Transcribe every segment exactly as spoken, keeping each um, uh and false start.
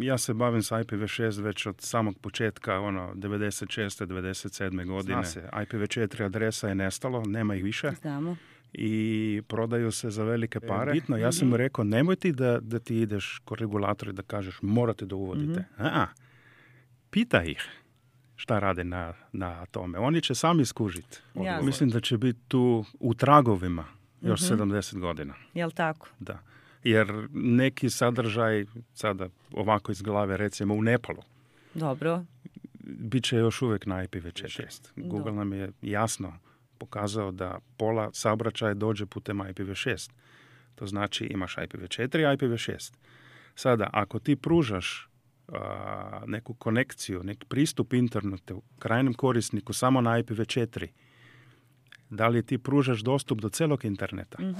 ja se bavim sa I P v šest već od samog početka, ono, devedeset šeste devedeset sedme godine. Zna se, I P v četiri adresa je nestalo, nema ih više. Znamo. I prodaju se za velike pare. Bitno, ja sam mu rekao, nemoj ti da, da ti ideš kod regulatora i da kažeš morate da uvodite. Mm-hmm. A, pita ih šta rade na, na tome. Oni će sami skužiti. Ja, mislim da će biti tu u tragovima još mm-hmm. sedamdeset godina. Jel tako? Da. Jer neki sadržaj, sada ovako iz glave, recimo u Nepalu, dobro, bit će još uvijek na I P v šest. Google nam je jasno pokazao da pola saobraćaja dođe putem I P v šest. To znači imaš I P v četiri i I P v šest. Sada, ako ti pružaš a, neku konekciju, neki pristup internetu krajnjem korisniku samo na I P v četiri, da li ti pružaš dostup do celog interneta? Mm-hmm.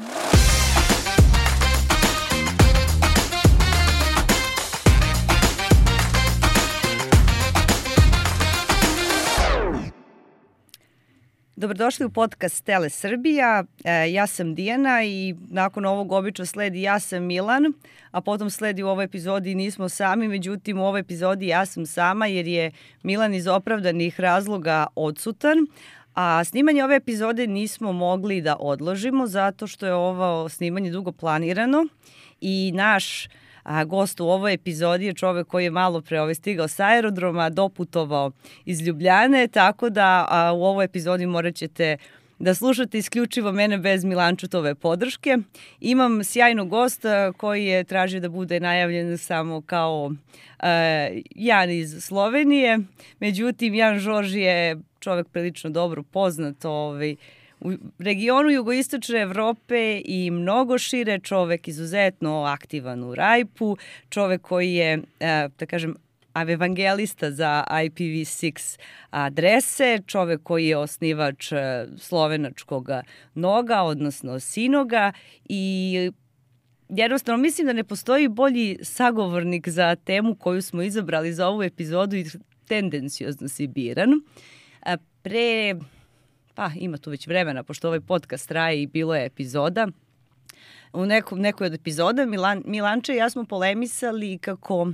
Dobrodošli u podcast Tele Srbija. E, ja sam Dijana i nakon ovog obično sledi ja sam Milan, a potom sledi u ovoj epizodi nismo sami, međutim u ovoj epizodi ja sam sama jer je Milan iz opravdanih razloga odsutan, a snimanje ove epizode nismo mogli da odložimo zato što je ovo snimanje dugo planirano i naš A gost u ovoj epizodi je čovek koji je malo pre ovaj stigao sa aerodroma, doputovao iz Ljubljane, tako da a, u ovoj epizodi morat ćete da slušate isključivo mene bez Milančutove podrške. Imam sjajnog gosta koji je tražio da bude najavljen samo kao a, Jan iz Slovenije. Međutim, Jan Žorž je čovek prilično dobro poznat ovaj, u regionu jugoistočne Evrope i mnogo šire, čovek izuzetno aktivan u Rajpu, čovek koji je, da kažem, evangelista za I P v šest adrese, čovek koji je osnivač slovenačkog Noga, odnosno Sinoga i jednostavno mislim da ne postoji bolji sagovornik za temu koju smo izabrali za ovu epizodu i tendencijozno si biran. Pre... Pa ima tu već vremena, pošto ovaj podcast traje i bilo je epizoda. U nekom, nekoj od epizoda Milan, Milanče i ja smo polemisali kako...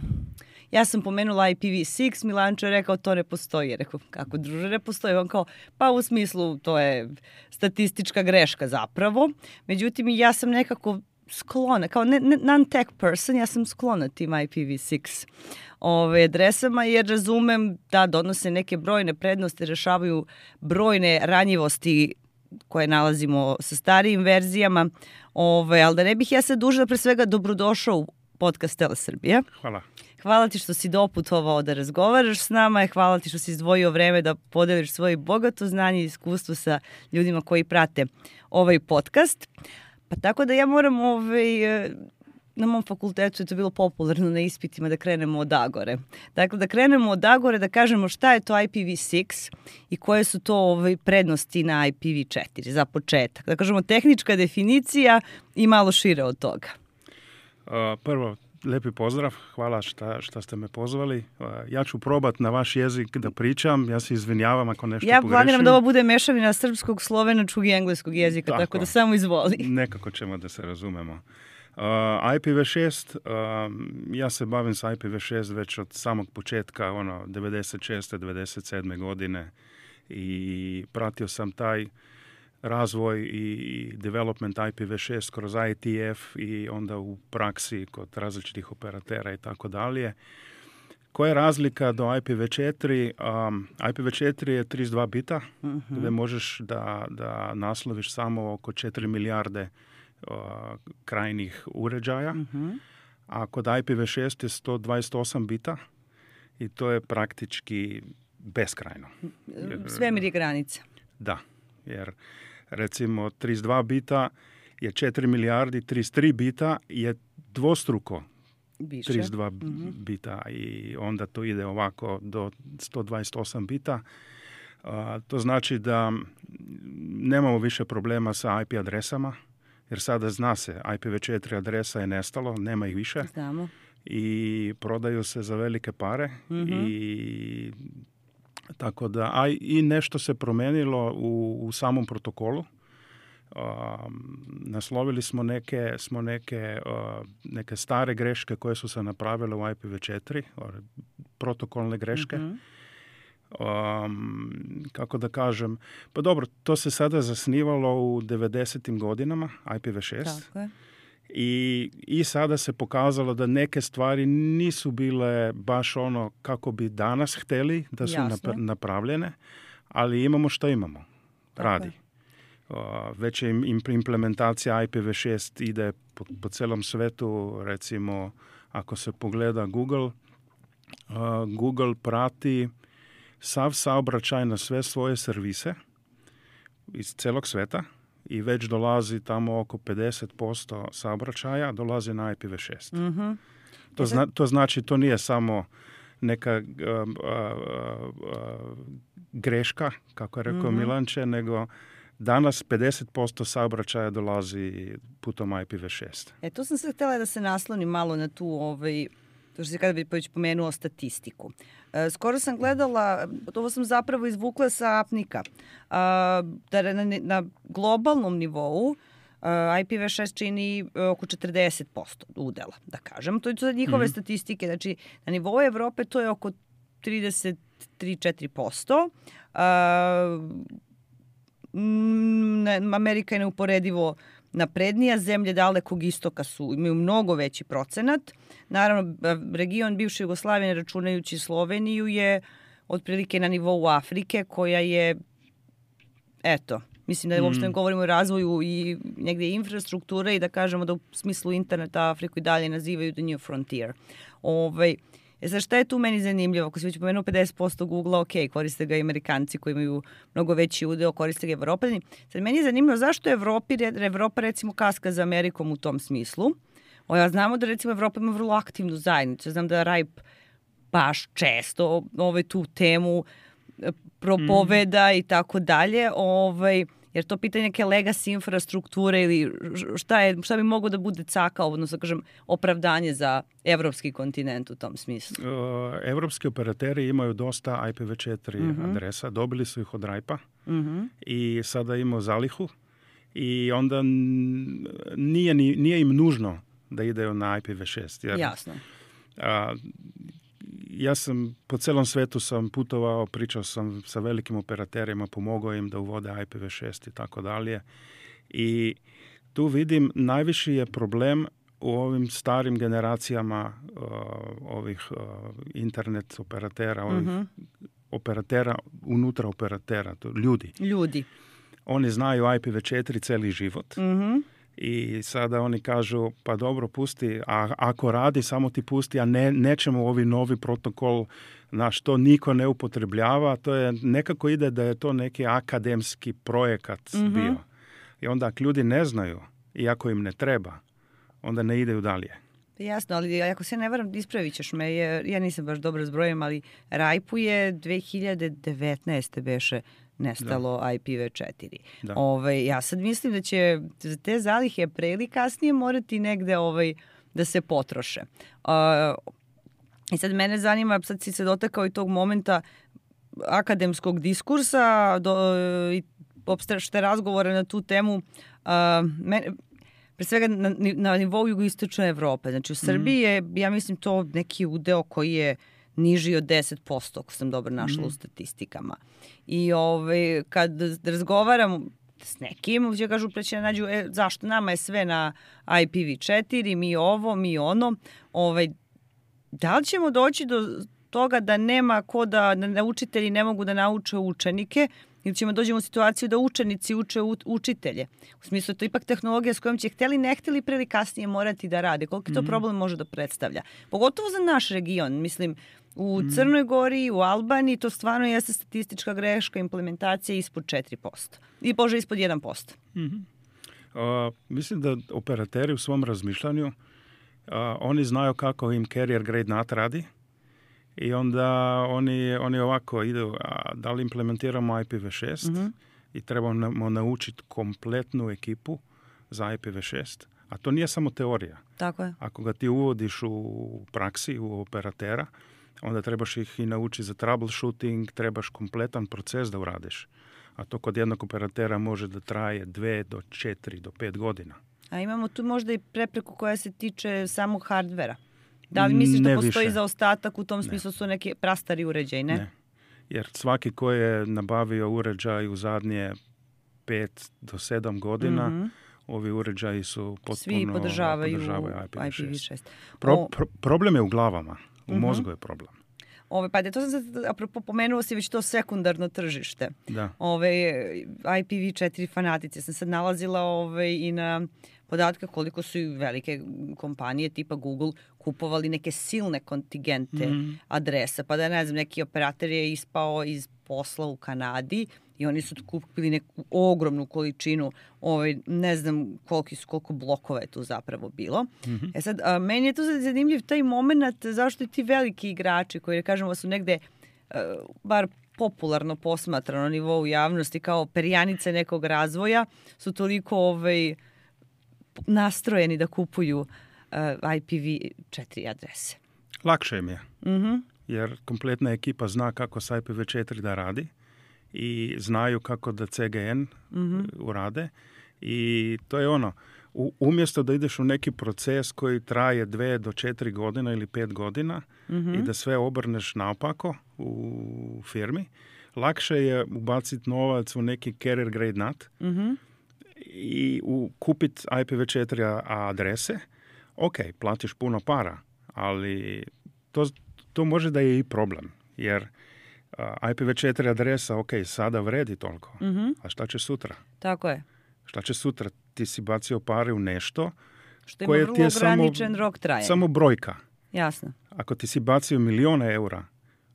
Ja sam pomenula I P v šest, Milanče je rekao to ne postoji. Rekao, kako druže ne postoji? On kao, pa u smislu to je statistička greška zapravo. Međutim, ja sam nekako sklona, kao ne, ne, non-tech person, ja sam sklona tim I P v šest ove adresama jer razumem da donose neke brojne prednosti, rešavaju brojne ranjivosti koje nalazimo sa starijim verzijama, ove, ali da ne bih ja sad dužila, pre svega dobrodošao u podcast Tele Srbija. Hvala. Hvala ti što si doputovao da razgovaraš s nama, hvala ti što si izdvojio vreme da podeliš svoje bogato znanje i iskustvo sa ljudima koji prate ovaj podcast. Pa tako da ja moram, ovaj, na mom fakultetu je to bilo popularno na ispitima da krenemo od Agore. Dakle, da krenemo od Agore, da kažemo šta je to I P v šest i koje su to ovaj, prednosti na I P v četiri za početak. Da kažemo tehnička definicija i malo šire od toga. Uh, prvo, lepi pozdrav, hvala šta, šta ste me pozvali. Uh, ja ću probat na vaš jezik da pričam, ja se izvinjavam ako nešto ja pogrešim. Ja planiram da ovo bude mešavina srpskog, slovenačkog i engleskog jezika, tako, tako da samo izvoli. Nekako ćemo da se razumemo. Uh, I P v šest, uh, ja se bavim sa I P v šest već od samog početka, ono, devedeset šeste devedeset sedme godine i pratio sam taj razvoj i development I P v šest kroz I T F i onda u praksi kod različitih operatera i tako dalje. Koja je razlika do I P v četiri? Um, I P v četiri je trideset dva bita, uh-huh. gde možeš da, da nasloviš samo oko četiri milijarde uh, krajnih uređaja, uh-huh. a kod I P v šest je sto dvadeset osam bita i to je praktički beskrajno. Svemir je granica. Da, jer recimo trideset dva bita je četiri milijardi, trideset tri bita je dvostruko više. trideset dva mm-hmm. bita i onda to ide ovako do sto dvadeset osam bita. Uh, to znači da nemamo više problema sa I P adresama, jer sada zna se, I P v četiri adresa je nestalo, nema ih više. Znamo. I prodaju se za velike pare mm-hmm. i tako da, a i nešto se promenilo u, u samom protokolu. naslovili smo neke, smo neke, uh, neke stare greške koje su se napravile u I P v četiri, protokolne greške. Mm-hmm. Um, kako da kažem, pa dobro, to se sada zasnivalo u devedesetim godinama, I P v šest. Tako je. I, I sada se pokazalo da neke stvari nisu bile baš ono kako bi danas hteli da su nap- napravljene, ali imamo što imamo. Tako radi. Uh, već je implementacija I P v šest ide po, po celom svetu, recimo ako se pogleda Google, uh, Google prati sav saobraćaj na sve svoje servise iz celog sveta i već dolazi tamo oko pedeset posto saobraćaja dolazi na I P v šest. Mm-hmm. To, zna, to znači to nije samo neka uh, uh, uh, greška, kako je rekao mm-hmm. Milanče, nego danas pedeset posto saobraćaja dolazi putom I P v šest. E, to sam se htjela da se naslonim malo na tu, ovaj, to što se kada bi već pomenuo statistiku. E, skoro sam gledala, ovo sam zapravo izvukla sa Apnika, a, da na, na globalnom nivou I P v šest čini oko četrdeset posto udela, da kažem. To su njihove mm-hmm. statistike. Znači, na nivou Evrope to je oko trideset tri do četiri posto. Amerika je neuporedivo naprednija, zemlje dalekog istoka su, imaju mnogo veći procenat. Naravno, region bivše Jugoslavije, računajući Sloveniju, je otprilike na nivou Afrike, koja je, eto, mislim da uopšte ne govorimo o razvoju i negdje infrastrukture i da kažemo da u smislu interneta Afriku i dalje nazivaju the new frontier. Ovaj, E sad, šta je tu meni zanimljivo? Ako se već pomenuo pedeset posto Google-a, ok, koriste ga i Amerikanci koji imaju mnogo veći udeo, koriste ga Evropani. Sad, meni je zanimljivo zašto Evropi, Evropa recimo kaska za Amerikom u tom smislu. O, ja znamo da recimo Evropa ima vrlo aktivnu zajednicu. Ja znam da R I P baš često ovaj, tu temu propoveda mm. i tako dalje. Ovaj, jer to pitanje neke legacy infrastrukture ili šta, je, šta bi moglo da bude caka, odnosno kažem, opravdanje za evropski kontinent u tom smislu? Uh, evropski operateri imaju dosta I P v četiri mm-hmm. adresa, dobili su ih od R I P-a mm-hmm. i sada imaju zalihu i onda nije, nije im nužno da ideju na I P v šest. Jer, jasno. Uh, ja sam po celom svetu sam putovao, pričao sam sa velikim operaterima, pomogao im da uvode I P v šest i tako dalje. I tu vidim najviši je problem u ovim starim generacijama uh, ovih uh, internet operatera, ovih mm-hmm. operatera, unutra operatera, to ljudi. Ljudi. Oni znaju I P v četiri celi život. Mhm. I sada oni kažu, pa dobro, pusti, a ako radi, samo ti pusti, a ne, nećemo ovi novi protokol, na što niko ne upotrebljava, to je, nekako ide da je to neki akademski projekat mm-hmm. bio. I onda ako ljudi ne znaju, i ako im ne treba, onda ne ideju dalje. Jasno, ali ako se ne varam, ispravit ćeš me, jer ja nisam baš dobro zbrojim, ali R I P-u je dve hiljade devetnaeste beše nestalo da. I P v četiri. Ovaj, ja sad mislim da će te zalihe pre ili kasnije morati negde ovaj, da se potroše. Uh, I sad mene zanima, sad si se dotakao i tog momenta akademskog diskursa do, i opšte razgovore na tu temu. Uh, mene, pre svega na, na nivou jugoistočne Evrope. Znači u Srbiji je, ja mislim, to neki udeo koji je niži od deset posto, ako sam dobro našla mm. u statistikama. I ovaj, kad razgovaram s nekim, će kažu preći da nađu, e, zašto nama je sve na I P v četiri, mi ovo, mi ono. Ovaj, da li ćemo doći do toga da nema ko da, da učitelji ne mogu da nauče učenike, ili ćemo dođemo u situaciju da učenici uče u, učitelje. U smislu, to je ipak tehnologija s kojom će htjeli, ne htjeli pre ili kasnije morati da rade. Koliko to mm. problem može da predstavlja? Pogotovo za naš region. Mislim, u mm. Crnoj Gori, u Albaniji, to stvarno jeste statistička greška, implementacija ispod četiri posto. I bože, ispod jedan posto. Mm-hmm. Uh, mislim da operateri u svom razmišljanju, uh, oni znaju kako im carrier grade N A T radi. I onda oni, oni ovako idu, a da li implementiramo I P v šest mm-hmm. i trebamo naučiti kompletnu ekipu za I P v šest. A to nije samo teorija. Tako je. Ako ga ti uvodiš u praksi, u operatera, onda trebaš ih i naučiti za troubleshooting, trebaš kompletan proces da uradiš. a to kod jednog operatera može da traje dve do četiri do pet godina. A imamo tu možda i prepreku koja se tiče samog hardvera. Da li misliš ne da postoji više zaostatak u tom smislu, ne. Su neki prastari uređaji, ne? Ne. Jer svaki ko je nabavio uređaj u zadnje pet do sedam godina, mm-hmm. ovi uređaji su potpuno svi podržavaju, podržavaju I P v šest. I P v šest. Pro, pro, problem je u glavama, u mm-hmm. mozgu je problem. Ove, pa to sam sad, apropo, pomenuo si već to sekundarno tržište. Da. Ove, I P v četiri fanatice. Sam sad nalazila ove, i na podatke koliko su i velike kompanije tipa Google kupovali neke silne kontingente mm. adresa. Pa da ne znam, neki operator je ispao iz posla u Kanadi i oni su kupili neku ogromnu količinu, ovaj, ne znam koliko su, koliko blokova je tu zapravo bilo. Mm-hmm. E sad, a, meni je to zanimljiv taj moment zašto i ti veliki igrači koji, kažemo, su negde, a, bar popularno posmatrano na nivou javnosti kao perjanice nekog razvoja, su toliko ovaj, nastrojeni da kupuju uh, I P v četiri adrese. Lakše im je. Mm-hmm. Jer kompletna ekipa zna kako s I P v četiri da radi i znaju kako da C G N mm-hmm. urade i to je ono, u, umjesto da ideš u neki proces koji traje dve do četiri godina ili pet godina mm-hmm. i da sve obrneš naopako u firmi, lakše je ubaciti novac u neki carrier grade N A T mm-hmm. i u, kupiti I P v četiri adrese. Ok, platiš puno para, ali to, to može da je i problem, jer uh, I P v četiri adresa, ok, sada vredi toliko, mm-hmm. a šta će sutra? Tako je. Šta će sutra? Ti si bacio pare u nešto što ima vrlo ograničen rok trajanja. Samo brojka. Jasno. Ako ti si bacio milijone eura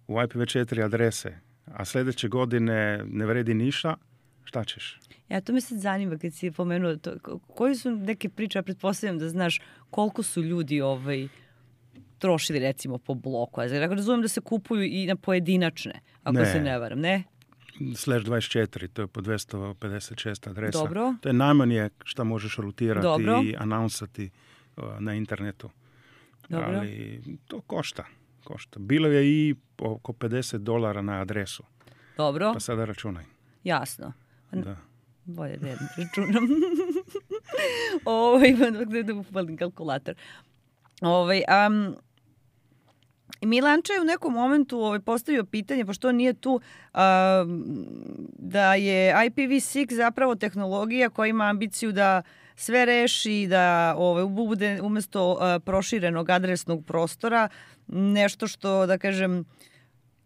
u I P v četiri adrese, a sljedeće godine ne vredi ništa, šta ćeš? Ja, to me sad zanima kad si pomenuo to. Koji su neke priče, ja pretpostavljam da znaš koliko su ljudi ovaj, trošili recimo po bloku. Ja razumijem da se kupuju i na pojedinačne, ako ne. se ne varam, ne? Slash dvadeset četiri, to je po dvjesto pedeset šest adresa. Dobro. To je najmanje što možeš rutirati Dobro. i anonsati uh, na internetu. Dobro. Ali to košta. košta. Bilo je i oko pedeset dolara na adresu. Dobro. Pa sada računaj. Jasno. Da. Bolje da jedno računam. Ovo imam da upalim kalkulator. Ovaj, um, Milanča je u nekom momentu ovaj, postavio pitanje, pošto on nije tu, um, da je I P v šest zapravo tehnologija koja ima ambiciju da sve reši, da ovaj, bude umjesto uh, proširenog adresnog prostora nešto što, da kažem,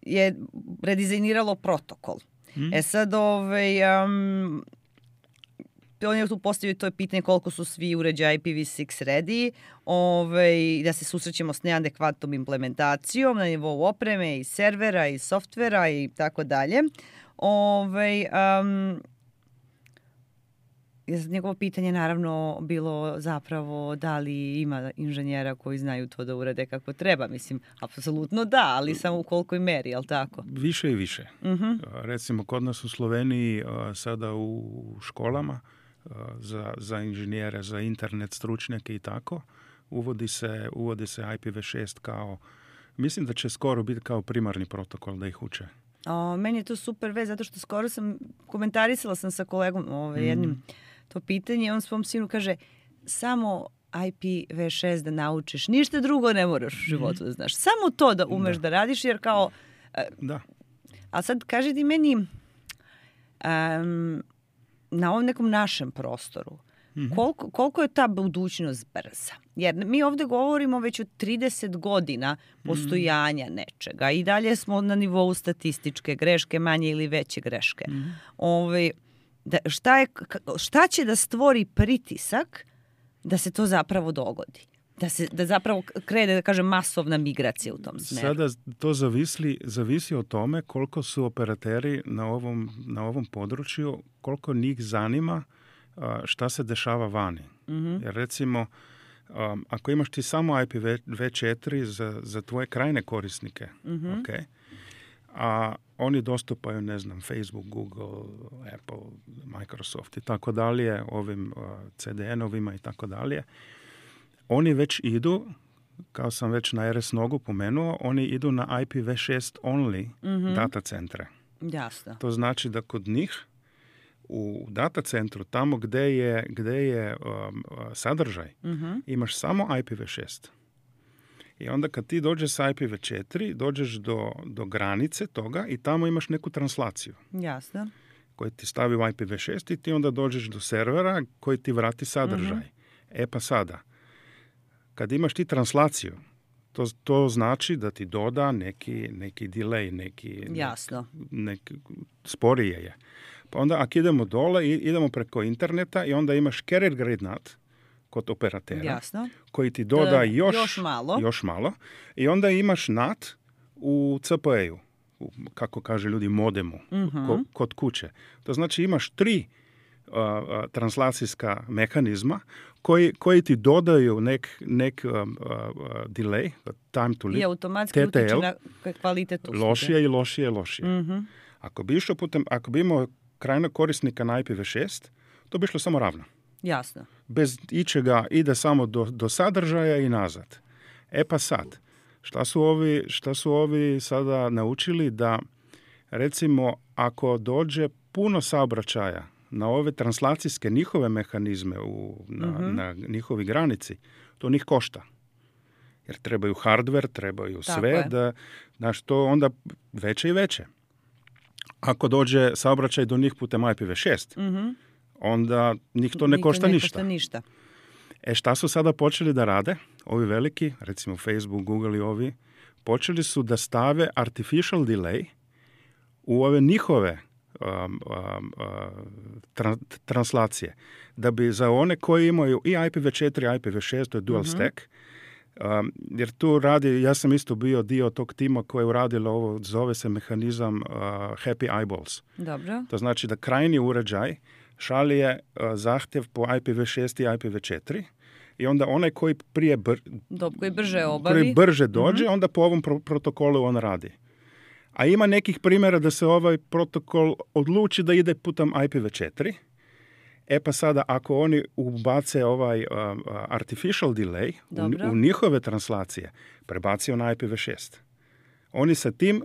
je redizajniralo protokol. Mm. E sad, ovaj, um, on je tu postavio to pitanje koliko su svi uređaji I P v šest ready, ovaj, da se susrećemo s neadekvatnom implementacijom na nivou opreme i servera i softvera i tako dalje. Ovaj, um, njegovo pitanje naravno bilo zapravo da li ima inženjera koji znaju to da urade kako treba. Mislim, apsolutno da, ali samo u kolikoj meri, jel tako? Više i više. Uh-huh. Recimo, kod nas u Sloveniji sada u školama za, za inženjere, za internet stručnjake i tako, uvodi se, uvodi se I P v šest kao, mislim da će skoro biti kao primarni protokol da ih uče. O, meni je to super vez, zato što skoro sam, komentarisala sam sa kolegom ovaj, jednim mm. to pitanje, on svom sinu kaže, samo I P v šest da naučiš, ništa drugo ne moraš u životu da znaš. Samo to da umeš da, da radiš, jer kao... Da. A sad kaži ti meni, um, na ovom nekom našem prostoru, mm-hmm. koliko, koliko je ta budućnost brza? Jer mi ovdje govorimo već o trideset godina postojanja mm-hmm. nečega i dalje smo na nivou statističke greške, manje ili veće greške. Mm-hmm. Ove, da, šta, je, šta će da stvori pritisak da se to zapravo dogodi? Da se da zapravo krene, da kažem, masovna migracija u tom smeru. Sada to zavisi, zavisi o tome koliko su operateri na ovom, na ovom području, koliko njih zanima šta se dešava vani. Mm-hmm. Jer recimo, um, ako imaš ti samo I P v četiri za, za tvoje krajne korisnike, mm-hmm. okay, a oni dostupaju, ne znam, Facebook, Google, Apple, Microsoft i tako dalje, ovim uh, C D N-ovima i tako dalje, oni već idu, kao sam već na R S Nogu pomenuo, oni idu na I P v šest only mm-hmm. data centre. Jasno. To znači da kod njih U data centru, tamo gde je, gde je um, sadržaj, uh-huh. imaš samo I P v šest. I onda kad ti dođeš sa I P v četiri, dođeš do, do granice toga i tamo imaš neku translaciju. Jasno. Koji ti stavi u I P v šest i ti onda dođeš do servera koji ti vrati sadržaj. Uh-huh. E pa sada, kad imaš ti translaciju, to, to znači da ti doda neki, neki delay, neki, Jasno. Nek, nek, sporije je. Pa onda ako idemo dole, idemo preko interneta i onda imaš carrier grade N A T kod operatera. Jasno. Koji ti doda e, još, još, malo. još malo. I onda imaš N A T u C P E-u, u, kako kaže ljudi, modemu, uh-huh. ko, kod kuće. To znači imaš tri uh, uh, translacijska mehanizma koji, koji ti dodaju nek, nek um, uh, delay, time to lead, i automatski T T L, utiče na kvalitet usluge. Lošije i lošije i lošije. Uh-huh. Ako bi išao putem, ako bi imao krajnog korisnika na I P v šest, to bi išlo samo ravno. Jasno. Bez ičega ide samo do, do sadržaja i nazad. E pa sad, šta su ovi, šta su ovi sada naučili da, recimo, ako dođe puno saobraćaja na ove translacijske njihove mehanizme u, na, uh-huh. na njihovi granici, to njih košta. Jer trebaju hardware, trebaju Tako sve, je. da, znaš, to onda veće i veće. Ako dođe saobraćaj do njih putem I P v šest, uh-huh. onda njih to ne košta ne ništa. Košta ništa. E šta su sada počeli da rade? Ovi veliki, recimo Facebook, Google i ovi, počeli su da stave artificial delay u ove njihove um, um, uh, tra- translacije. Da bi za one koji imaju i I P v četiri i I P v šest, to je dual uh-huh. stack, um, jer tu radi, ja sam isto bio dio tog tima koji je uradilo ovo, zove se mehanizam uh, Happy Eyeballs. Dobro. To znači da krajnji uređaj šalje uh, zahtjev po I P v šest i I P v četiri i onda onaj koji prije br- Dob, koji brže obavi. Koji brže dođe, mm-hmm. onda po ovom pro- protokolu on radi. A ima nekih primjera da se ovaj protokol odluči da ide putem I P v četiri. E pa sada, ako oni ubace ovaj uh, artificial delay u, u njihove translacije, prebacio na I P v šest. Oni sa tim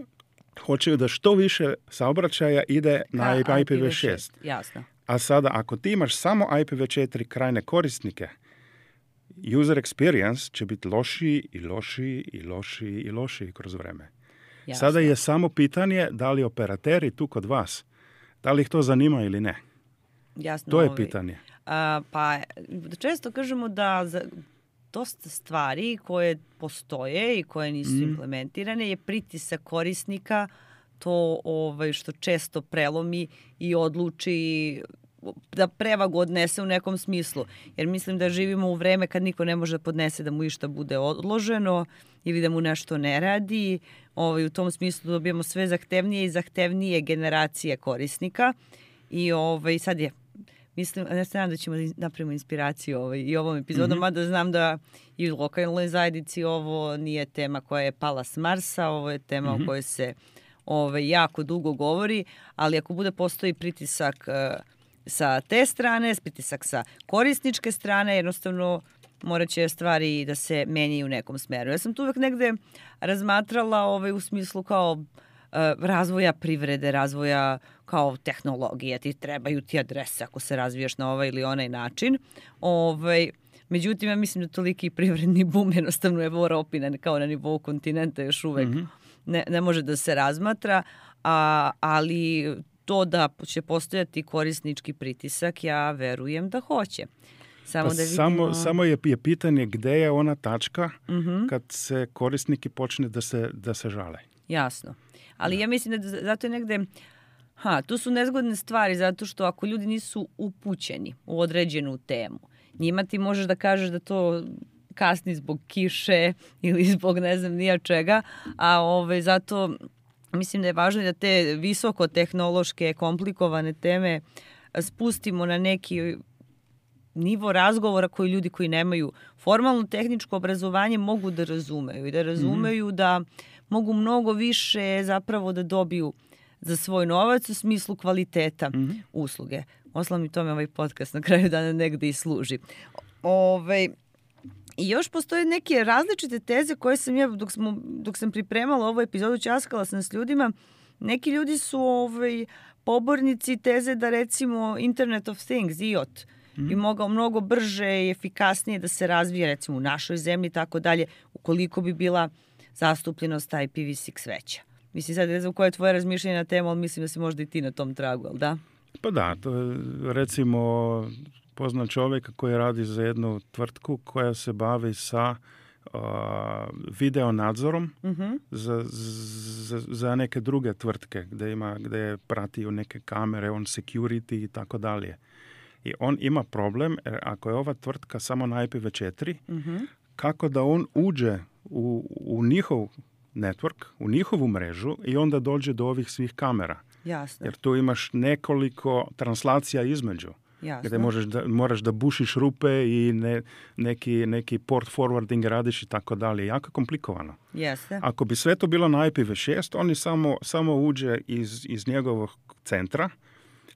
hoće da što više saobraćaja ide na I P v šest. Jasno. A sada, ako ti imaš samo I P v četiri krajne korisnike, user experience će biti lošiji i lošiji i lošiji i lošiji kroz vreme. Jasno. Sada je samo pitanje da li operateri tu kod vas, da li ih to zanima ili ne. Jasno, to je ovaj. pitanje. A, pa često kažemo da za dosta stvari koje postoje i koje nisu mm. implementirane je pritisak korisnika, to ovaj, što često prelomi i odluči da prevagu odnese u nekom smislu. Jer mislim da živimo u vreme kad niko ne može da podnese da mu išta bude odloženo ili da mu nešto ne radi. Ovaj, u tom smislu dobijamo sve zahtevnije i zahtevnije generacije korisnika. I ovaj, sad je, mislim, ne znam da ćemo da napravimo inspiraciju ovaj, i ovom epizodom, mm-hmm. mada znam da i u lokalnoj zajednici ovo nije tema koja je pala s Marsa, ovo je tema mm-hmm. o kojoj se ovaj, jako dugo govori, ali ako bude postoji pritisak uh, sa te strane, pritisak sa korisničke strane, jednostavno morat će stvari da se menjaju u nekom smeru. Ja sam tu uvek negde razmatrala ovaj, u smislu kao uh, razvoja privrede, razvoja kao tehnologije, ti trebaju ti adrese ako se razvijaš na ovaj ili onaj način. Ovaj, međutim, ja mislim da toliki privredni bum jednostavno je u Europi kao na nivou kontinenta još uvek mm-hmm. ne, ne može da se razmatra, a, ali to da će postojati korisnički pritisak, ja verujem da hoće. Samo, pa da vidimo... samo, samo je, je pitanje gde je ona tačka mm-hmm. kad se korisniki počne da se, da se žale. Jasno. Ali da. Ja mislim da zato je negde... Ha, tu su nezgodne stvari zato što ako ljudi nisu upućeni u određenu temu, njima ti možeš da kažeš da to kasni zbog kiše ili zbog ne znam nija čega, a ove, zato mislim da je važno da te visokotehnološke, komplikovane teme spustimo na neki nivo razgovora koji ljudi koji nemaju formalno tehničko obrazovanje mogu da razumeju i da razumeju mm-hmm. da mogu mnogo više zapravo da dobiju za svoj novac u smislu kvaliteta mm-hmm. usluge. Oslam i tome ovaj podcast na kraju dana negde i služi. Ove, I još postoje neke različite teze koje sam ja, dok, smo, dok sam pripremala ovu epizodu, ćaskala sam s ljudima, neki ljudi su ovaj, pobornici teze da recimo Internet of Things, I O T, mm. bi mogao mnogo brže i efikasnije da se razvije recimo u našoj zemlji i tako dalje, ukoliko bi bila zastupljenost I P v šest veća. Mislim, sad ne znam koje je tvoje razmišljanje na temu, ali mislim da si možda i ti na tom tragu, ali da? Pa da, to je, recimo, poznat čovjek koji radi za jednu tvrtku koja se bavi sa uh, video nadzorom uh-huh. za, za, za neke druge tvrtke gdje ima, gdje pratiju neke kamere, on security i tako dalje. I on ima problem, jer ako je ova tvrtka samo na I P v četiri, uh-huh. kako da on uđe u, u njihov network, u njihovu mrežu i onda dođe do ovih svih kamera. Jasno. Jer tu imaš nekoliko translacija između. Jasno. Gdje možeš da, moraš da bušiš rupe i ne, neki, neki port forwarding radiš i tako dalje. Jako komplikovano. Jeste. Ako bi sve to bilo na I P v šest, oni samo, samo uđe iz, iz njegovog centra,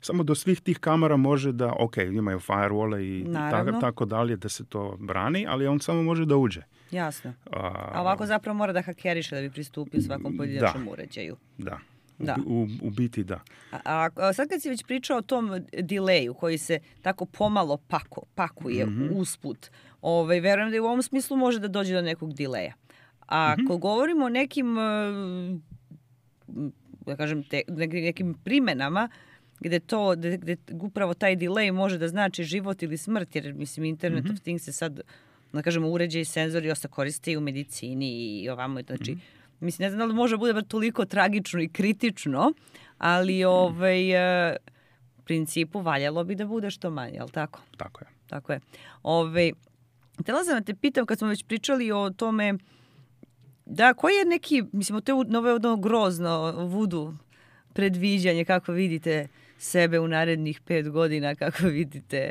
samo do svih tih kamera može da, ok, imaju firewall i tako, tako dalje da se to brani, ali on samo može da uđe. Jasno. A, A ovako zapravo mora da hakeriše da bi pristupio svakom pojedinačnom uređaju. Da. Da. U, u, u biti da. A, a sad kad si već pričao o tom delayu koji se tako pomalo pako, pakuje mm-hmm. usput, ovaj, verujem da i u ovom smislu može da dođe do nekog delaya. A mm-hmm. ako govorimo o nekim, da kažem, te, nekim primenama, gde to, gde, gde upravo taj delay može da znači život ili smrt, jer mislim Internet mm-hmm. of Things se sad, da kažemo, uređaj i senzori osta koriste i u medicini i ovamo, znači, mm-hmm. mislim, ne znam da li može bude toliko tragično i kritično, ali ovaj, u principu valjalo bi da bude što manje, jel tako? Tako je. Tako je. Ovaj, htjela sam da te pitam, kad smo već pričali o tome, da, koji je neki, mislim, to je nove ono grozno vudu predviđanje, kako vidite sebe u narednih pet godina, kako vidite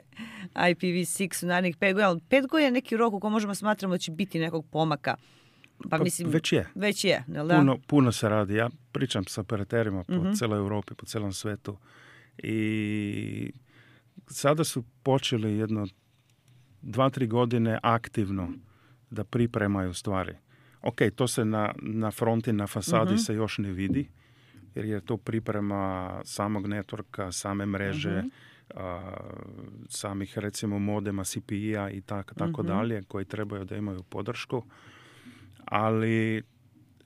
I P v šest u narednih pet godina, ali pet godina je neki rok u kojem možemo smatramo da će biti nekog pomaka. Pa, mislim, već je. Već je, jel da? Puno, puno se radi. Ja pričam sa operaterima po mm-hmm. celoj Europi, po celom svetu. I sada su počeli jedno dva, tri godine aktivno da pripremaju stvari. Ok, to se na, na fronti, na fasadi mm-hmm. se još ne vidi, jer je to priprema samog networka, same mreže, mm-hmm. a, samih recimo modema C P I-a i tak, tako mm-hmm. dalje, koji trebaju da imaju podršku. Ali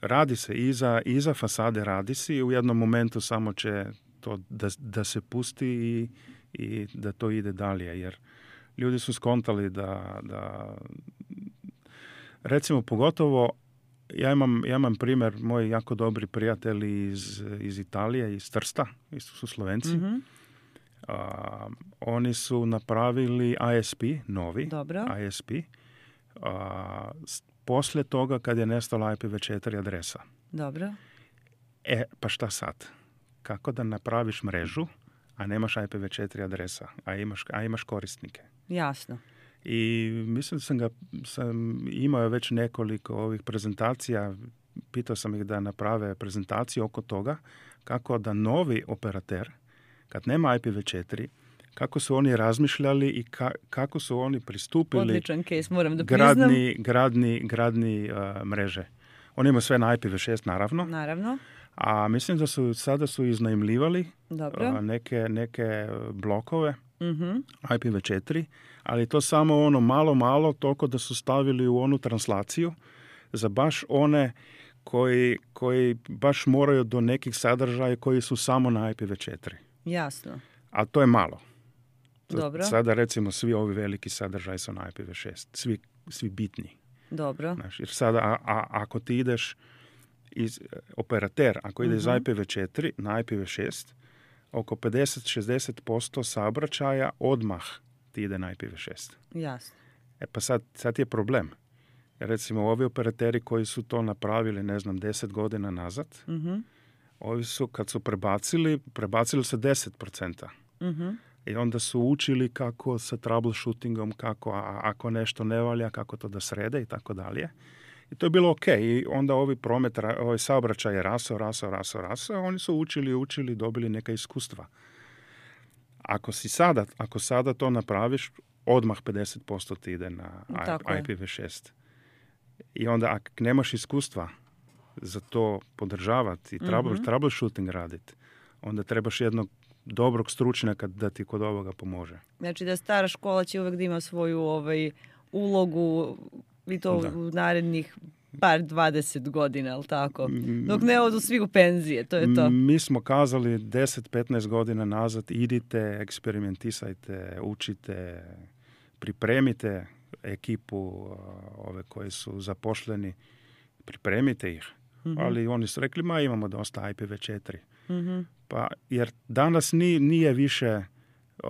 radi se iza, iza fasade, radi se i u jednom momentu samo će to da, da se pusti i, i da to ide dalje. Jer ljudi su skontali da, da recimo pogotovo ja imam, ja imam primjer, moji jako dobri prijatelji iz, iz Italije, iz Trsta, isto su Slovenci. Mm-hmm. A, oni su napravili I S P, novi Dobro. I S P, a, poslije toga kad je nestala I P v četiri adresa. Dobro. E, pa šta sad? Kako da napraviš mrežu, a nemaš I P v četiri adresa, a imaš, a imaš korisnike? Jasno. I mislim da sam ga, sam imao već nekoliko ovih prezentacija, pitao sam ih da naprave prezentaciju oko toga, kako da novi operater, kad nema I P v četiri, kako su oni razmišljali i ka, kako su oni pristupili Odličan case, moram da gradni, gradni, gradni uh, mreže. Oni imaju sve na I P v šest, naravno. Naravno. A mislim da su sada su iznajmljivali uh, neke, neke blokove mm-hmm. I P v četiri, ali to samo ono malo, malo, toliko da su stavili u onu translaciju za baš one koji, koji baš moraju do nekih sadržaja koji su samo na I P v četiri. Jasno. A to je malo. Dobro. Sada recimo svi ovi veliki sadržaj su na I P v šest. Svi, svi bitni. Dobro. Znaš, jer sada a, a, ako ti ideš iz operater, ako ide mm-hmm. iz I P v četiri na I P v šest, oko pedeset do šezdeset posto saobraćaja odmah ti ide na I P v šest. Jasno. E pa sad, sad je problem. Recimo ovi operateri koji su to napravili, ne znam, deset godina nazad, mm-hmm. ovi su kad su prebacili, prebacili se deset procenta. Mm-hmm. I onda su učili kako sa troubleshootingom, kako a, ako nešto ne valja, kako to da srede i tako dalje. I to je bilo ok. I onda ovi promet, ovaj saobraćaj je rasao, rasao, rasao, rasao. Oni su učili, učili, dobili neka iskustva. Ako si sada, ako sada to napraviš, odmah pedeset posto ti ide na I P v šest. I onda ako nemaš iskustva za to podržavati i trouble, Mhm. troubleshooting raditi, onda trebaš jednog dobrog stručnjaka da ti kod ovoga pomože. Znači da stara škola će uvek da ima svoju ovaj, ulogu i to Da. u narednih par dvadeset godina, ali tako? Mm. Dok ne odu svi u penzije, to je to. Mi smo kazali deset petnaest godina nazad, idite, eksperimentisajte, učite, pripremite ekipu uh, ove koji su zaposleni, pripremite ih. Mhm. Ali oni su rekli, ma imamo dosta I P v četiri. Mhm. Pa, jer danas ni, nije više, uh,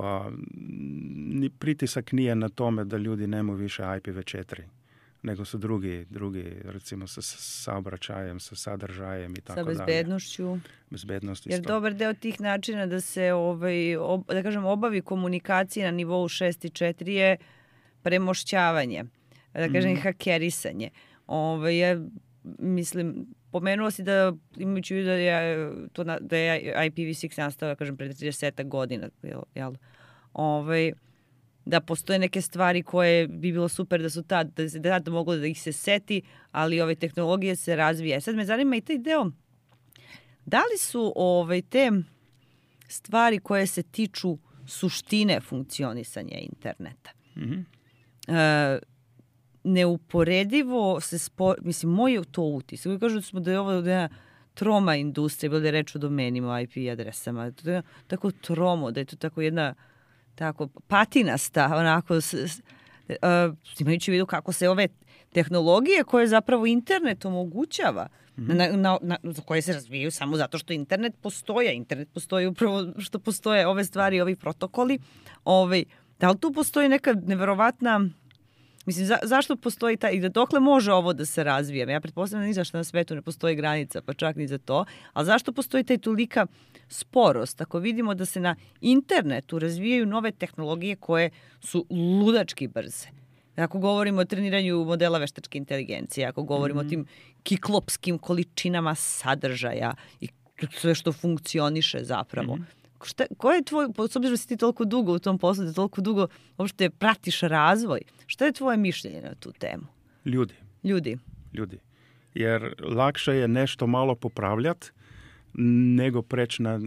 ni pritisak nije na tome da ljudi nemaju više I P v četiri, nego su drugi, drugi recimo sa saobraćajem, sa sadržajem i tako Sa dalje. bezbednošću. Bezbednost Jer isto. dobar deo tih načina da se ovaj, ob, da kažem, obavi komunikacija na nivou šest i četiri je premošćavanje, da kažem, Mhm. hakerisanje. Ovaj, ja, mislim, pomenuo si da, imajući u vidu da je, to na, da je I P v šest nastao, da kažem, pred trideset godina, jel, jel? Ovaj, da postoje neke stvari koje bi bilo super da su tad, da se tad moglo da ih se seti, ali ove tehnologije se razvije. Sad me zanima i taj deo, da li su ovaj, te stvari koje se tiču suštine funkcionisanja interneta Mhm. e, neuporedivo se spo, mislim, moj je to utis. Koji kažu da smo da je ovo jedna troma industrija, bilo da je reč o domenima, I P adresama, to je tako tromo, da je to tako jedna tako patinasta, onako, s, s, uh, imajući u vidu kako se ove tehnologije koje zapravo internet omogućava, mm-hmm. na, na, na, za koje se razvijaju samo zato što internet postoje. Internet postoji upravo što postoje ove stvari, ovi protokoli. Ovaj, da li tu postoji neka neverovatna... Mislim, za, zašto postoji taj, i da dokle može ovo da se razvije? Ja pretpostavljam da ni zašto na svetu ne postoji granica, pa čak ni za to. Ali zašto postoji taj tolika sporost? Ako vidimo da se na internetu razvijaju nove tehnologije koje su ludački brze. Ako govorimo o treniranju modela veštačke inteligencije, ako govorimo mm-hmm. o tim kiklopskim količinama sadržaja i sve što funkcioniše zapravo. Mm-hmm. Šta, ko je tvoj, s obzirom da si ti toliko dugo u tom poslu, da toliko dugo uopšte pratiš razvoj, šta je tvoje mišljenje na tu temu? Ljudi. Ljudi. Ljudi. Jer lakše je nešto malo popravljati nego preći na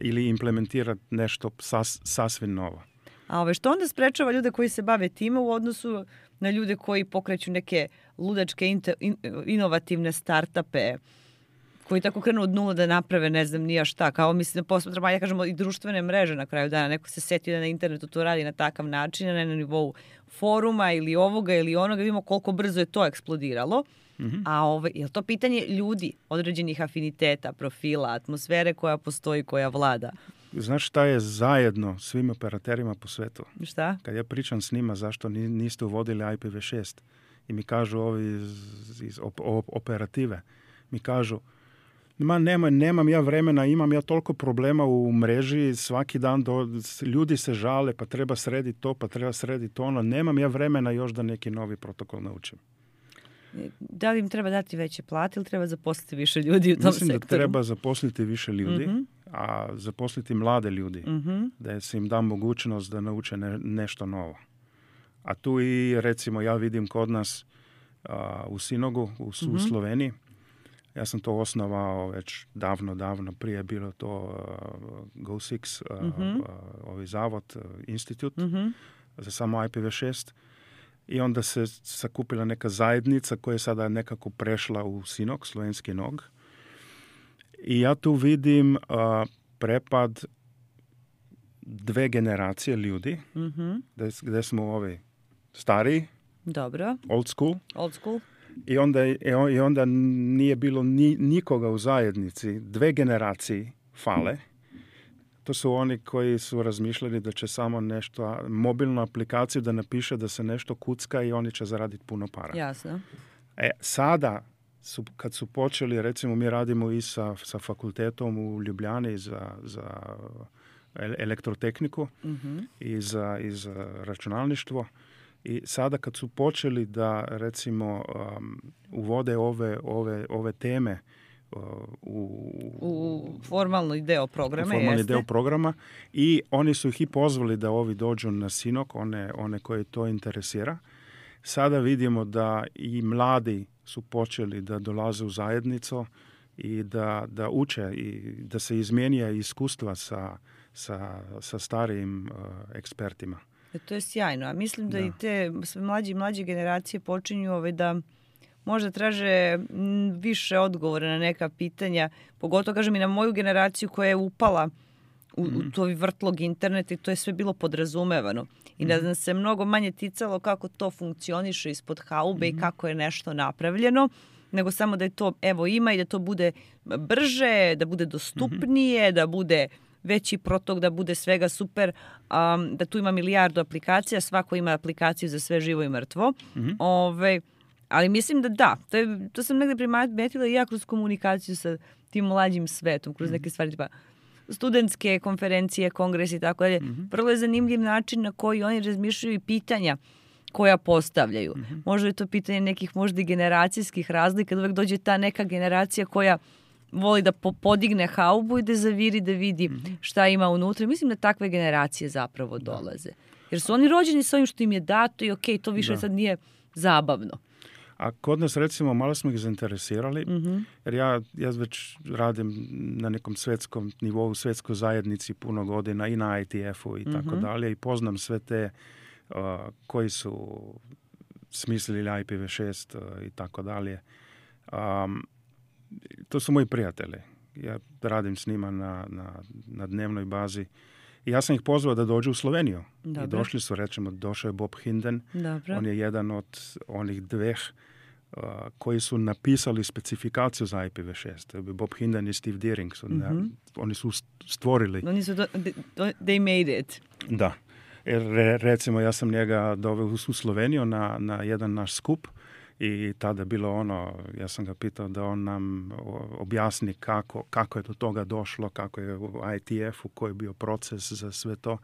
ili implementirati nešto sas, sasvim novo. A ove, što onda sprečava ljude koji se bave time u odnosu na ljude koji pokreću neke ludačke inter, in, inovativne startupe, koji tako krenu od nula da naprave ne znam nija šta, kao mislim da posmatramo, ja kažemo i društvene mreže na kraju dana, neko se setio da na internetu to radi na takav način, ne na nivou foruma ili ovoga ili onoga, vidimo koliko brzo je to eksplodiralo, mm-hmm. a ove, je to pitanje ljudi, određenih afiniteta, profila, atmosfere koja postoji, koja vlada? Znaš šta je zajedno svim operaterima po svetu? Šta? Kad ja pričam s njima zašto niste uvodili I P v šest i mi kažu ovi iz, iz op, op, operative, mi kažu ma nemoj, nemam ja vremena, imam ja toliko problema u mreži, svaki dan do, ljudi se žale, pa treba srediti to, pa treba srediti ono, nemam ja vremena još da neki novi protokol naučim. Da li im treba dati veće plate ili treba zaposliti više ljudi u tom Mislim sektoru? Mislim da treba zaposliti više ljudi, mm-hmm. a zaposliti mlade ljudi, mm-hmm. da se im da mogućnost da nauče ne, nešto novo. A tu i recimo ja vidim kod nas a, u Sinogu, u, mm-hmm. u Sloveniji, ja sam to osnovao već davno, davno, prije je bilo to uh, Go šest, uh, mm-hmm. uh, ovaj zavod, uh, institut mm-hmm. za samo I P v šest. I onda se sakupila neka zajednica koja je sada nekako prešla u Sinog, slovenski nog. I ja tu vidim uh, prepad dve generacije ljudi, mm-hmm. gde, gde smo ovi stariji, dobro. old school, old school. I onda, i onda nije bilo ni, nikoga u zajednici. Dve generacije fale. To su oni koji su razmišljali da će samo nešto, mobilnu aplikaciju da napiše da se nešto kucka i oni će zaraditi puno para. Jasno. E, sada, su, kad su počeli, recimo mi radimo i sa, sa fakultetom u Ljubljani za, za elektrotehniku mm-hmm. i, za, i za računalništvo. I sada kad su počeli da recimo um, uvode ove, ove, ove teme uh, u, u formalni deo programa, formalni jeste? deo programa i oni su ih i pozvali da ovi dođu na Sinok, one, one koje to interesira. Sada vidimo da i mladi su počeli da dolaze u zajednicu i da, da uče i da se izmijenja iskustva sa, sa, sa starijim uh, ekspertima. E, to je sjajno, a mislim da, da. i te sve mlađe i mlađe generacije počinju ove da možda traže više odgovora na neka pitanja, pogotovo kažem i na moju generaciju koja je upala u, mm. u to vrtlog interneta i to je sve bilo podrazumevano. I da nas se mnogo manje ticalo kako to funkcioniše ispod haube mm. i kako je nešto napravljeno, nego samo da je to evo ima i da to bude brže, da bude dostupnije, mm-hmm. da bude veći protok, da bude svega super, um, da tu ima milijardu aplikacija, svako ima aplikaciju za sve živo i mrtvo. Mm-hmm. Ove, ali mislim da da, to, je, to sam negde primetila i ja kroz komunikaciju sa tim mlađim svetom, kroz neke stvari tipa studentske konferencije, kongresi i tako dalje. Mm-hmm. Vrlo je zanimljiv način na koji oni razmišljaju i pitanja koja postavljaju. Mm-hmm. Možda je to pitanje nekih možda i generacijskih razlika, da uvek dođe ta neka generacija koja voli da po- podigne haubu i da zaviri, da vidi mm-hmm. šta ima unutra. Mislim da takve generacije zapravo dolaze. Jer su oni rođeni s ovim što im je dato i okej, okay, to više da. sad nije zabavno. A kod nas, recimo, malo smo ih zainteresirali, mm-hmm. jer ja, ja već radim na nekom svetskom nivou, svetskoj zajednici puno godina i na I T F-u i tako mm-hmm. dalje i poznam sve te uh, koji su smislili I P v šest uh, i tako dalje. Um, to su moji prijatelji. Ja radim s njima na, na, na dnevnoj bazi. I ja sam ih pozvao da dođu u Sloveniju. Dobre. I došli su, rečemo, došao je Bob Hinden. Dobre. On je jedan od onih dveh uh, koji su napisali specifikaciju za I P v šest. Bob Hinden i Steve Deering. Su, mm-hmm. ne, oni su stvorili. Oni su, do, they made it. Da. Re, recimo, ja sam njega doveo u Sloveniju na, na jedan naš skup i tada bilo ono, ja sam ga pitao da on nam objasni kako, kako je do toga došlo, kako je u I T F-u, koji je bio proces za sve to.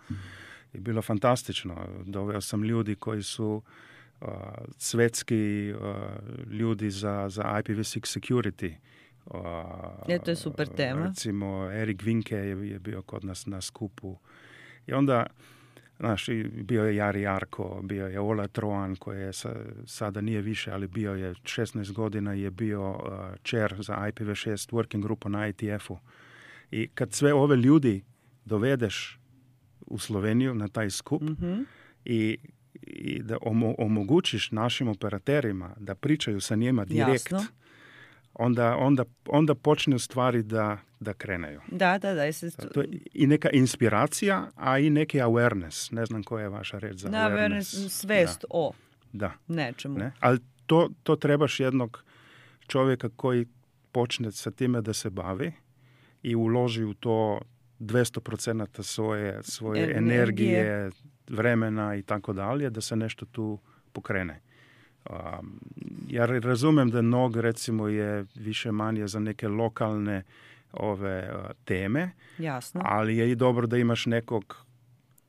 I bilo fantastično. Doveo sam ljudi koji su uh, svetski uh, ljudi za, za I P v šest security. Uh, je, to je super tema. Recimo, Erik Vinke je, je bio kod nas na skupu. I onda znaš, bio je Jari Jarko, bio je Ola Troan koji je sa, sada nije više, ali bio je šesnaest godina je bio uh, chair za I P v šest working grupu na I T F-u. I kad sve ove ljudi dovedeš u Sloveniju na taj skup mm-hmm. i, i da omo, omogućiš našim operaterima da pričaju sa njima direkt, Jasno. onda, onda, onda počne stvari da, da kreneju. Da, da, da. Jeste... To je i neka inspiracija, a i neki awareness. Ne znam koja je vaša reč za da, awareness. awareness. Svest da. o da. nečemu. Ne? Ali to, to trebaš jednog čovjeka koji počne sa time da se bavi i uloži u to dvjesto procent svoje, svoje energije. energije, vremena i tako dalje, da se nešto tu pokrene. Um, ja razumem da nog recimo je više manje za neke lokalne ove uh, teme, Jasno. ali je i dobro da imaš nekog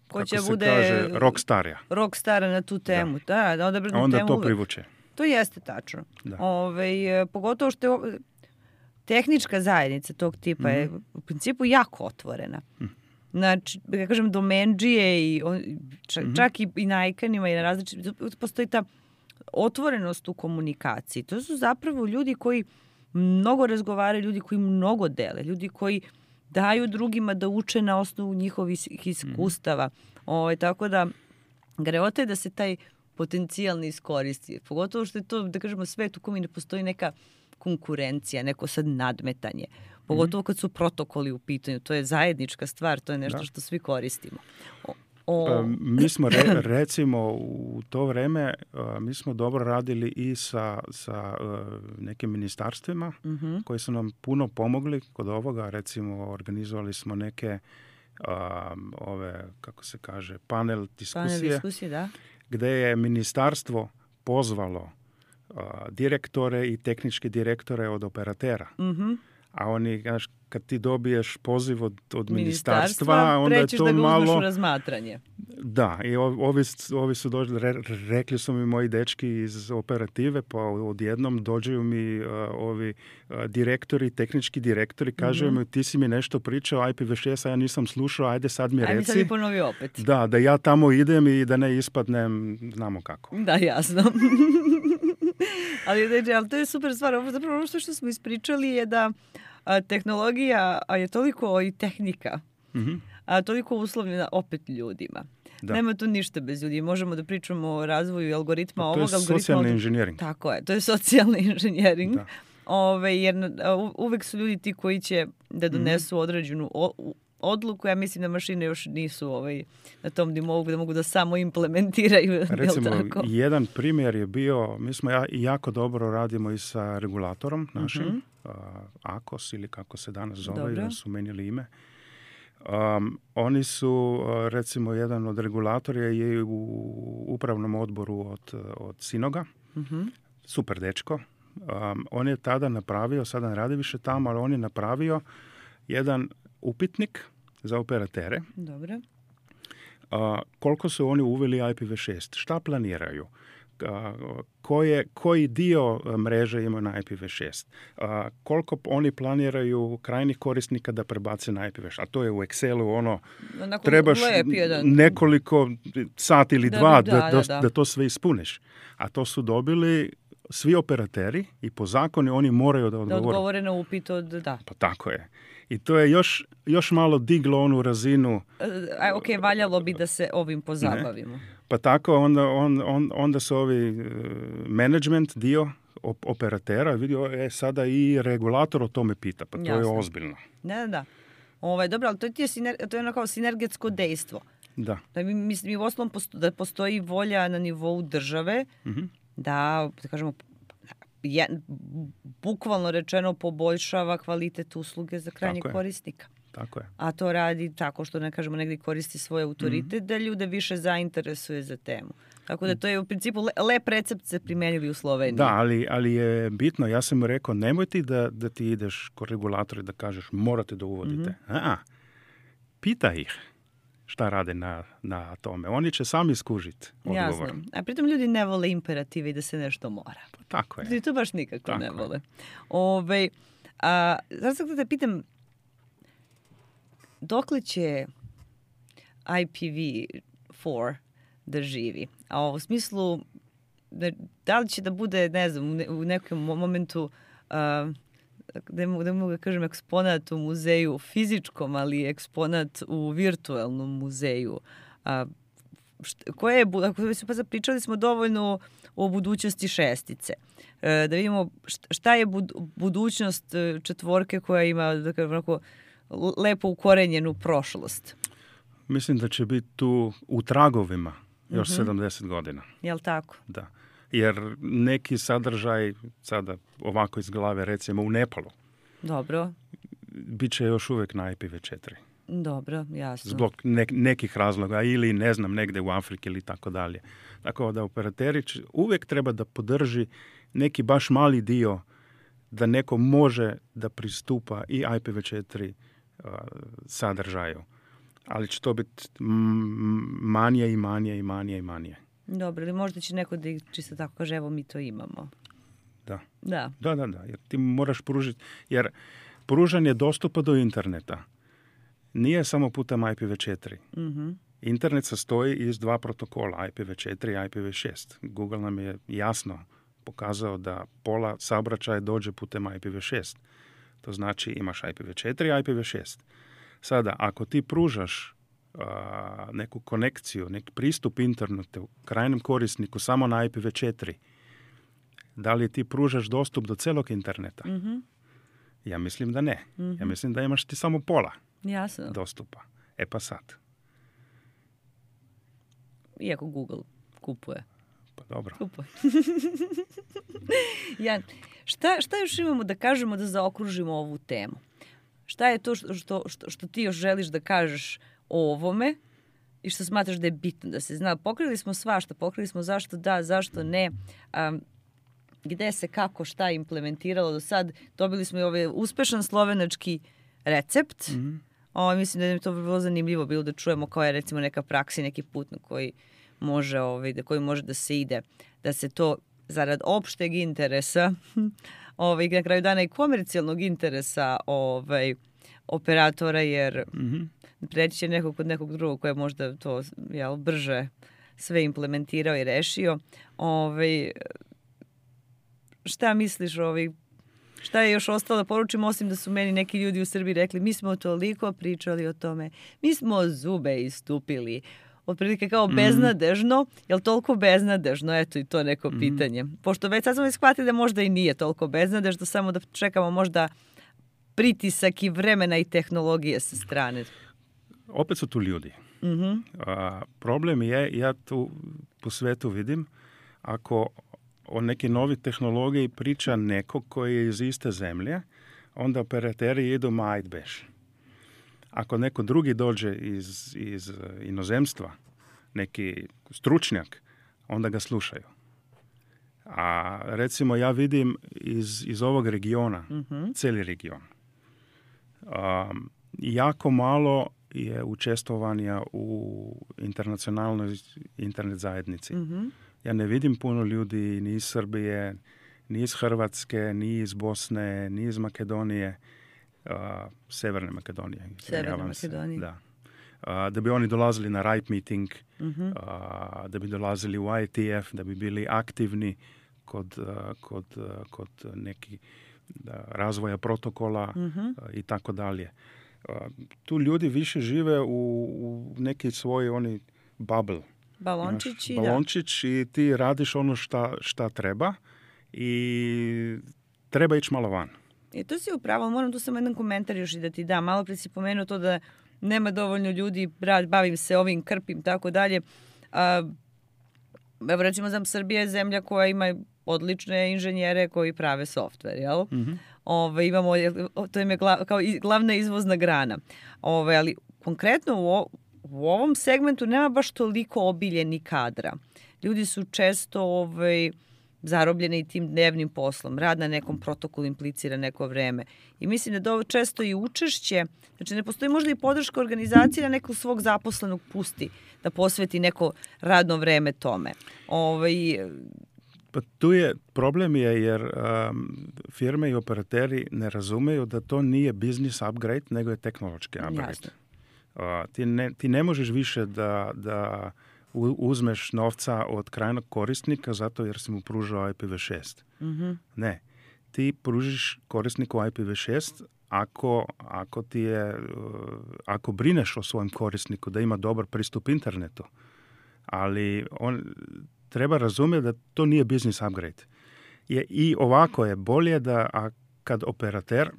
ko kako će se bude kaže rockstarja. Rockstara na tu temu, da, da, da, da onda temu to uvek. privuče. To jeste tačno. Ove, pogotovo što je tehnička zajednica tog tipa mm-hmm. je u principu jako otvorena. Mm. Znači, ja kažem, domendžije i on, čak, mm-hmm. čak i, i na ikanima i na različitim, postoji ta otvorenost u komunikaciji. To su zapravo ljudi koji mnogo razgovaraju, ljudi koji mnogo dele, ljudi koji daju drugima da uče na osnovu njihovih iskustava. Mm-hmm. O, tako da, greota je da se taj potencijal ne iskoristi. Pogotovo što je to, da kažemo, svet u kome ne postoji neka konkurencija, neko sad nadmetanje. Pogotovo kad su protokoli u pitanju. To je zajednička stvar, to je nešto da. što svi koristimo. O, o... Pa, mi smo re, recimo u to vreme uh, mi smo dobro radili i sa, sa uh, nekim ministarstvima mm-hmm. koji su nam puno pomogli kod ovoga. Recimo organizovali smo neke uh, ove, kako se kaže, panel diskusije. Panel diskusije, da. Gde je ministarstvo pozvalo uh, direktore i tehničke direktore od operatera. Mhm. A oni, znaš, kad ti dobiješ poziv od, od ministarstva, onda je to da ga malo... u razmatranje. Da, i ovi, ovi su došli, re, rekli su mi moji dečki iz operative, pa odjednom dođeju mi uh, ovi uh, direktori, tehnički direktori, kažu mm-hmm. mi, ti si mi nešto pričao, I P v šest, a ja nisam slušao, ajde sad mi reci. Ajde sad mi ponovi opet. Da, da ja tamo idem i da ne ispadnem, znamo kako. Da, jasno. ali, znači, ali to je super stvar. Ovo, zapravo ono što smo ispričali je da a, tehnologija a je toliko i tehnika, mm-hmm. a toliko uslovljena opet ljudima. Da. Nema tu ništa bez ljudi. Možemo da pričamo o razvoju algoritma. To ovog je algoritma, socijalni od... inženjering. Tako je, to je socijalni inženjering. Da. Ove, jer uvek su ljudi ti koji će da donesu mm-hmm. određenu o, odluku. Ja mislim da mašine još nisu ovaj, na tom da mogu da mogu da samo implementiraju. Recimo, jedan primjer je bio, mi smo ja, jako dobro radimo i sa regulatorom našim, mm-hmm. uh, A K O S ili kako se danas zove, da su menjali ime. Um, oni su, uh, recimo, jedan od regulatora je u upravnom odboru od, od Sinoga, mm-hmm. super dečko. Um, on je tada napravio, sada ne radi više tamo, ali on je napravio jedan upitnik za operatere. Dobro. Uh, koliko su oni uveli I P v šest? Šta planiraju? Uh, koje, koji dio mreže imaju na I P v šest? Uh, koliko oni planiraju krajnih korisnika da prebace na I P v šest? A to je u Excelu ono, onako trebaš nekoliko sati ili da, dva da, da, da, da, da. da to sve ispuniš. A to su dobili svi operateri i po zakonu oni moraju da odgovore. Da odgovore na upit od, da. Pa tako je. I to je još, još malo diglo onu razinu. A, ok, valjalo bi da se ovim pozabavimo. Ne? Pa tako onda, on, on, onda su ovi uh, management dio op- operatera vidio, e, sada i regulator o tome pita. Pa to Jasno. je ozbiljno. Da, da, da. Ovaj, dobro, ali to je, siner, to je ono kao sinergetsko dejstvo. Da. Da mi, mi, mi u osnovom posto, da postoji volja na nivou države mm-hmm. da, da kažemo, je, bukvalno rečeno poboljšava kvalitet usluge za krajnjeg tako korisnika. Tako je. A to radi tako što, ne kažemo, negdje koristi svoj autoritet mm-hmm. da ljude više zainteresuje za temu. Tako da to je u principu le, lep recept se primenili u Sloveniji. Da, ali, ali je bitno, ja sam mu rekao, nemoj ti da, da ti ideš kod regulatora i da kažeš morate da uvodite. Mm-hmm. A, pita ih šta rade na, na tome. Oni će sami skužiti odgovor. Jasno. A pritom ljudi ne vole imperative i da se nešto mora. Pa tako je. Ljudi to baš nikako tako ne vole. Ove, a, zato sam da te pitam, dokle će I P v četiri da živi? A u smislu, da li će da bude, ne znam, u nekom momentu, uh, da mogu da, mogu da kažem eksponat u muzeju fizičkom, ali eksponat u virtualnom muzeju. A, šta, koje je, ako se pa zapričali smo dovoljno o budućnosti šestice. E, da vidimo šta je bud, budućnost četvorke koja ima, da kažem, onako, lepo ukorenjenu prošlost. Mislim da će biti tu u tragovima još mm-hmm. sedamdeset godina. Jel tako? Da. Jer neki sadržaj, sada ovako iz glave, recimo u Nepalu, dobro, bit će još uvijek na I P v četiri. Dobro, jasno. Zbog ne, nekih razloga ili ne znam, negde u Afriki ili tako dalje. Tako da operateri uvijek treba da podrži neki baš mali dio da neko može da pristupa i I P v četiri uh, sadržaju. Ali će to biti manje i manje i manje i manje. Dobro, ili možda će neko da čisto tako kaže, evo mi to imamo. Da. Da. Da, da, da. Jer ti moraš pružiti, jer pružanje dostupa do interneta nije samo putem I P v četiri. Mm-hmm. Internet sastoji iz dva protokola, I P v četiri i I P v šest. Google nam je jasno pokazao da pola saobraćaja dođe putem I P v šest. To znači imaš I P v četiri i I P v šest. Sada, ako ti pružaš uh, neku konekciju, nek pristup internetu krajnjem korisniku samo na I P v četiri, da li ti pružaš dostup do celog interneta? Mm-hmm. Ja mislim da ne. Mm-hmm. Ja mislim da imaš ti samo pola Jasno. dostupa. E pa sad. Iako Google kupuje. Pa dobro. Kupuje. Jan, šta, šta još imamo da kažemo da zaokružimo ovu temu? Šta je to što, što, što, što ti još želiš da kažeš o ovome i što smatraš da je bitno da se zna? Pokrili smo svašta, pokrili smo zašto da, zašto ne, um, gde se, kako, šta implementiralo do sad. Dobili smo i ovaj uspešan slovenački recept. Mm-hmm. O, mislim da je to bilo zanimljivo bilo da čujemo koja je recimo neka praksa, neki put na koji može, ovaj, da koji može da se ide, da se to zarad opšteg interesa, ovaj, na kraju dana i komercijalnog interesa ovaj, operatora, jer mm-hmm. preći će nekog kod nekog drugog koji je možda to jel, brže sve implementirao i rešio. Ovaj, šta misliš o ovih? Šta je još ostalo da poručim, osim da su meni neki ljudi u Srbiji rekli mi smo toliko pričali o tome, mi smo zube istupili. Otprilike kao mm. beznadežno, je li toliko beznadežno? Eto i to neko mm. pitanje. Pošto već sad smo već shvatili da možda i nije toliko beznadežno, samo da čekamo možda pritisak i vremena i tehnologije sa strane. Opet su tu ljudi. Mm-hmm. A, problem je, ja tu po svetu vidim, ako o neki novi tehnologiji priča neko koji je iz iste zemlje, onda operateri idu ma ajd beš. Ako neko drugi dođe iz, iz inozemstva, neki stručnjak, onda ga slušaju. A recimo ja vidim iz, iz ovog regiona, mm-hmm. cijeli region, um, jako malo je učestvovanja u internacionalnoj internet zajednici. Mm-hmm. Ja ne vidim puno ljudi ni iz Srbije, ni iz Hrvatske, ni iz Bosne, ni iz Makedonije, uh, Severne Makedonije. Severne Makedonije. Da. Uh, da bi oni dolazili na Ripe meeting, mm-hmm. uh, da bi dolazili u I T F, da bi bili aktivni kod, uh, kod, uh, kod neki da, razvoja protokola mm-hmm. uh, i tako dalje. Uh, tu ljudi više žive u, u neki svoj oni bubble. Balončić, Imaš balončić i ti radiš ono šta, šta treba i treba ići malo van. I to si upravo, moram tu samo jedan komentar još i da ti dam. Malo pre si pomenuo to da nema dovoljno ljudi, bavim se ovim, krpim, tako dalje. Evo recimo, znam, Srbija je zemlja koja ima odlične inženjere koji prave softver, jel? Mm-hmm. Ove, imamo, to im je glav, kao glavna izvozna grana. Ove, ali konkretno u ovo, u ovom segmentu nema baš toliko obiljeni kadra. Ljudi su često ovaj, zarobljeni i tim dnevnim poslom. Rad na nekom protokolu implicira neko vreme. I mislim da je često i učešće, znači ne postoji možda i podrška organizacije da nekog svog zaposlenog pusti, da posveti neko radno vreme tome. Ovaj, pa tu je, problem je jer um, firme i operateri ne razumeju da to nije business upgrade, nego je tehnološki upgrade. Jasno. Uh, ti, ne, ti ne možeš više da, da uzmeš novca od krajnog korisnika zato jer si mu pružao I P v šest. Mm-hmm. Ne. Ti pružiš korisniku I P v šest ako, ako, ti je, uh, ako brineš o svojem korisniku da ima dobar pristup internetu. Ali on treba razumjeti da to nije business upgrade. Je, I ovako je bolje da a, kad operater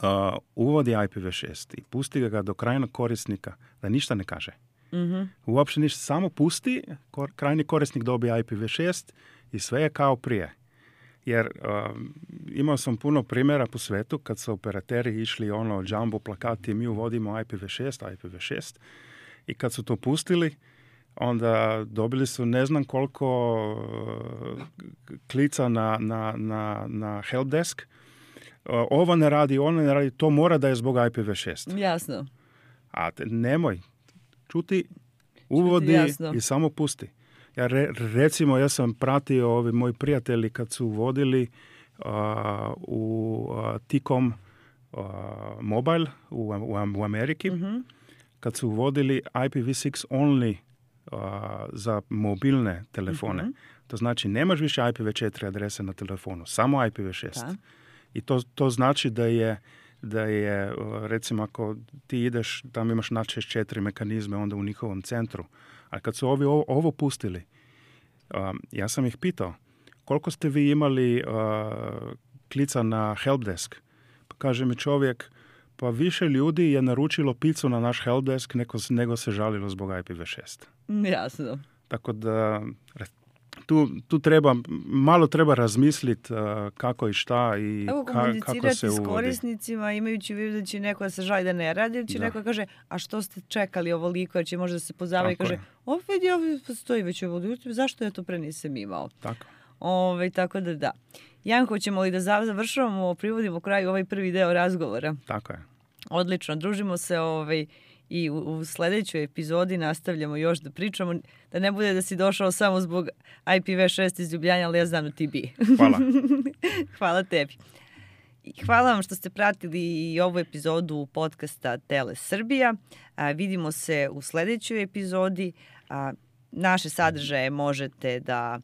Uh, uvodi I P v šest i pusti ga do krajnog korisnika, da ništa ne kaže. Mm-hmm. Uopće ništa, samo pusti, kor, krajni korisnik dobije I P v šest i sve je kao prije. Jer uh, imao sam puno primjera po svetu kad su operateri išli ono jumbo plakati, mi uvodimo I P v šest, I P v šest i kad su to pustili, onda dobili su ne znam koliko uh, klica na, na, na, na helpdesk. Ovo ne radi, ono ne radi, to mora da je zbog I P v šest. Jasno. A te, nemoj. Čuti, uvodi i samo pusti. Ja re, recimo, ja sam pratio ovi moji prijatelji kad su uvodili uh, u uh, T-Com uh, mobile u, u, u Ameriki, mm-hmm. kad su uvodili I P v šest only uh, za mobilne telefone. Mm-hmm. To znači, nemaš više I P v četiri adrese na telefonu, samo I P v šest. Da. I to, to znači da je, da je, recimo, ako ti ideš, tam imaš na šezdeset četiri mekanizme onda u njihovom centru. A kad su ovi ovo, ovo pustili, um, ja sam ih pitao, koliko ste vi imali uh, klica na helpdesk? Pa kaže mi čovjek, pa više ljudi je naručilo picu na naš helpdesk nego, nego se žalilo zbog I P v šest. Jasno. Tako da Tu, tu treba, malo treba razmisliti uh, kako i šta i Evo, ka, kako se uvodi. komunicirati s korisnicima imajući u vidu da će neko da se žali da ne radi, ili će da. neko kaže, a što ste čekali ovoliko, jer će možda se pozabaviti i kaže, ovo vidi, ovo postoji već ovo, zašto ja to pre nisam imao? Tako. Ove, tako da da. Janko, ćemo li da završavamo, privodimo kraju ovaj prvi deo razgovora? Tako je. Odlično, družimo se ovaj, i u, u sljedećoj epizodi nastavljamo još da pričamo, da ne bude da si došao samo zbog I P v šest iz Ljubljana, ali ja znam da ti bi. Hvala. Hvala tebi. I hvala vam što ste pratili i ovu epizodu podcasta Tele Srbija. A, vidimo se u sljedećoj epizodi. A, naše sadržaje možete da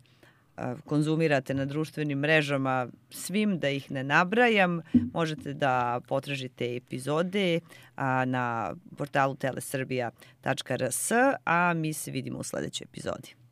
konzumirate na društvenim mrežama svim, da ih ne nabrajam. Možete da potražite epizode na portalu telesrbija tačka rs, a mi se vidimo u sledećoj epizodi.